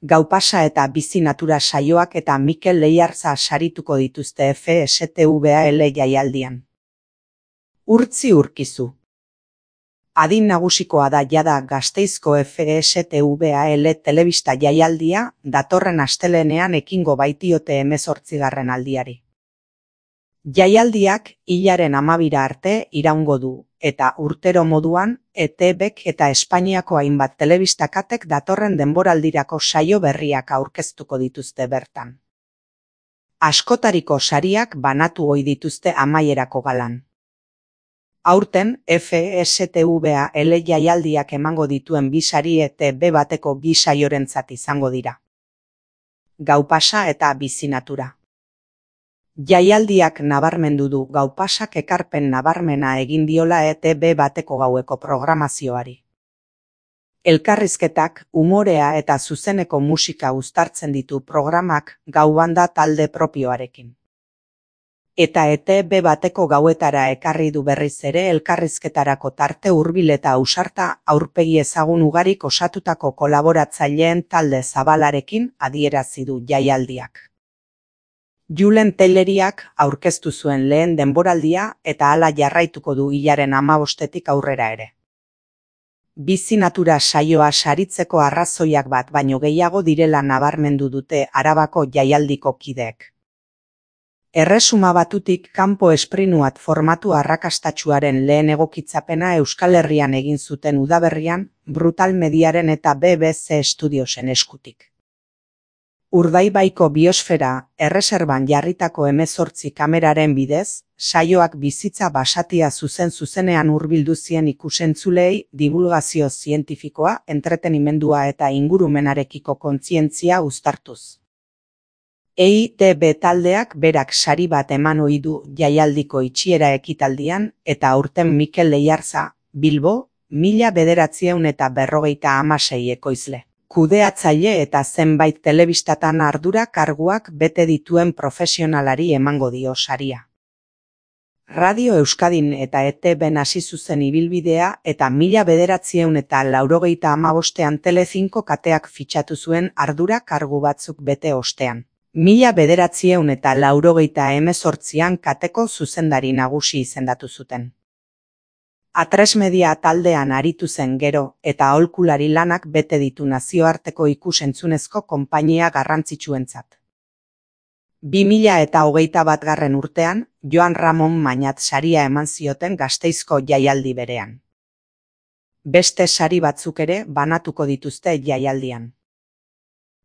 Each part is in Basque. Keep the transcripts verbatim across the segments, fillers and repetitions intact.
Gau pasa eta bizi natura saioak eta Mikel Leiarza sarituko dituzte F S T V A L jaialdian. Urtzi Urkizu. Adin nagusikoa da jada Gasteizko F S T V A L telebista jaialdia datorren astelehenean ekingo baitiote hemezortzigarren aldiari. Jaialdiak hilaren hamabira arte iraungo du, eta urtero moduan E T Bk eta Espainiako hainbat telebistakatek datorren denboraldirako saio berriak aurkeztuko dituzte bertan. Askotariko sariak banatu ohi dituzte amaierako galan. Aurten F S T V A L jaialdiak emango dituen bi sari E T B bateko bi saiorentzat izango dira. Gau pasa eta bizi natura. Jaialdiak nabarmendu du gau pasak ekarpen nabarmena egin diola E T B bateko gaueko programazioari. Elkarrizketak, umorea eta zuzeneko musika uztartzen ditu programak gau banda talde propioarekin. Eta E T B bateko gauetara ekarri du berriz ere elkarrizketarako tarte hurbil eta ausarta aurpegi ezagun ugarik osatutako kolaboratzaileen talde zabalarekin adierazi du jaialdiak. Julen Tayloriak aurkeztu zuen lehen denboraldia eta hala jarraituko du hilaren hamabostetik aurrera ere. Bizi natura saioa saritzeko arrazoiak bat baino gehiago direla nabarmendu dute Arabako jaialdiko kideek. Erresuma Batutik kanpo esprinuat formatu arrakastatsuaren lehen egokitzapena Euskal Herrian egin zuten udaberrian Brutal Mediaren eta B B C Studiosen eskutik. Urdaibaiko biosfera erreserban jarritako hemezortzi kameraren bidez, saioak bizitza basatia zuzen-zuzenean hurbildu zien ikusentzulei divulgazio zientifikoa, entretenimendua eta ingurumenarekiko kontzientzia uztartuz. E I T B taldeak berak sari bat eman ohi du jaialdiko itxiera ekitaldian eta aurten Mikel Leiarza, Bilbo, mila bederatziehun eta berrogeita hamasei ekoizle. Kudeatzaile eta zenbait telebistatan ardura karguak bete dituen profesionalari emango dio saria. Radio Euskadin eta E T Ben hasi zuzen ibilbidea eta mila bederatziehun eta laurogeita hamabostean Telecinco kateak fitxatu zuen ardura kargu batzuk bete ostean. Mila bederatziehun eta laurogeita hemezortzian kateko zuzendari nagusi izendatu zuten. Atresmedia taldean aritu zen gero eta aholkulari lanak bete ditu nazioarteko ikusentzunezko konpainia garrantzitsuentzat. Bi mila eta hogeita batgarren urtean, Joan Ramon Mañat saria eman zioten Gasteizko jaialdi berean. Beste sari batzuk ere banatuko dituzte jaialdian.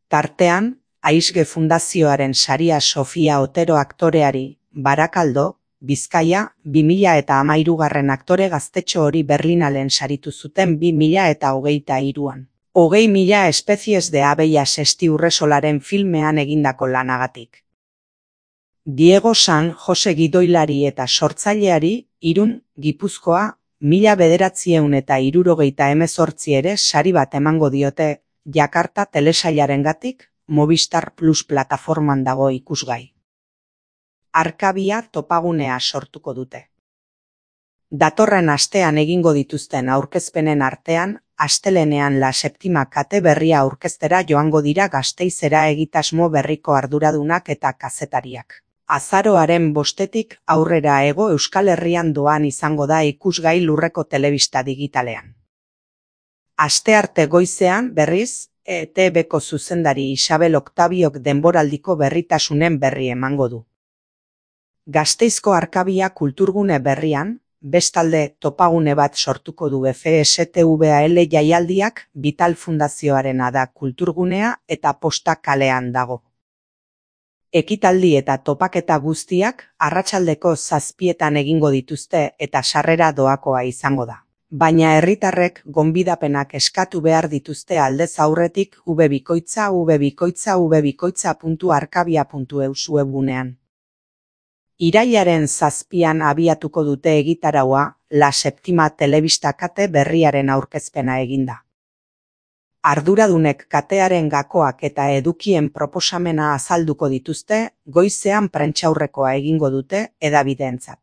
Tartean, Aizge Fundazioaren saria Sofia Otero aktoreari, Barakaldo, Bizkaia, bi mila eta hamairugarren aktore gaztetxo hori Berlinalen saritu zuten bi mila eta hogeita hiruan. Hogei mila espezies de abellas Estiurresolaren filmean egindako lanagatik. Diego San Jose gidoilari eta sortzaileari, Irun, Gipuzkoa, mila bederatziehun eta hirurogeita hemezortzi ere sari bat emango diote, Jakarta telesailarengatik, Movistar Plus plataforman dago ikusgai. Arkabia topagunea sortuko dute. Datorren astean egingo dituzten aurkezpenen artean, astelehenean La Septima kate berria aurkeztera joango dira Gasteizera egitasmo berriko arduradunak eta kazetariak. Azaroaren bostetik aurrera hego Euskal Herrian doan izango da ikusgai Lurreko telebista digitalean. Astearte goizean berriz, E T Bko zuzendari Isabel Oktabiok denboraldiko berritasunen berri emango du. Gasteizko Arkabia kulturgune berrian, bestalde topagune bat sortuko du F S T V A L jaialdiak Vital Fundazioarena da kulturgunea eta Posta kalean dago. Ekitaldi eta topaketa guztiak arratsaldeko zazpietan egingo dituzte eta sarrera doakoa izango da. Baina herritarrek gonbidapenak eskatu behar dituzte aldez aurretik webikoitza webikoitza webikoitza puntu arkabia puntu eus webgunean. Irailaren zazpian abiatuko dute egitaraua La Septima telebista kate berriaren aurkezpena eginda. Arduradunek katearen gakoak eta edukien proposamena azalduko dituzte, goizean prentsaurrekoa egingo dute hedabideentzat.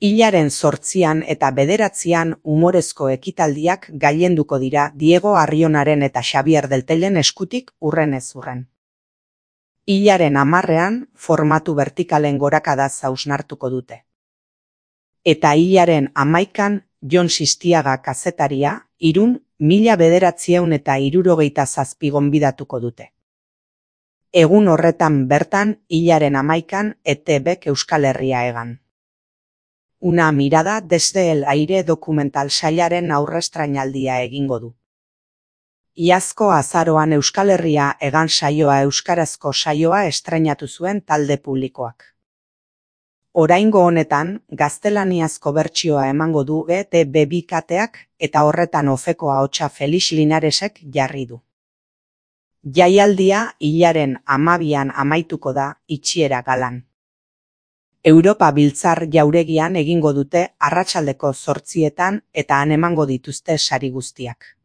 Hilaren zortzian eta bederatzian umorezko ekitaldiak gailenduko dira Diego Arrionaren eta Xabier Deltellen eskutik urrenez urren. Hilaren hamarrean formatu vertikalen gorakadaz hausnartuko dute. Eta hilaren hamaikan Jon Sistiaga kazetaria, Irun, mila bederatzieun eta hirurogeita zazpi gonbidatuko dute. Egun horretan bertan, hilaren hamaikan, E T Bk Euskal Herria egan. Una mirada desde el aire dokumental sailaren aurrestrainaldia egingo du. Iazko azaroan Euskal Herria egan saioa euskarazko saioa estreinatu zuen talde publikoak. Oraingo honetan, gaztelaniazko bertsioa emango du E T B bikateak eta horretan ofeko ahotsa Felix Linaresek jarri du. Jaialdia hilaren hamabian amaituko da itxiera galan. Europa Biltzar jauregian egingo dute arratsaldeko zortzietan eta han emango dituzte sari guztiak.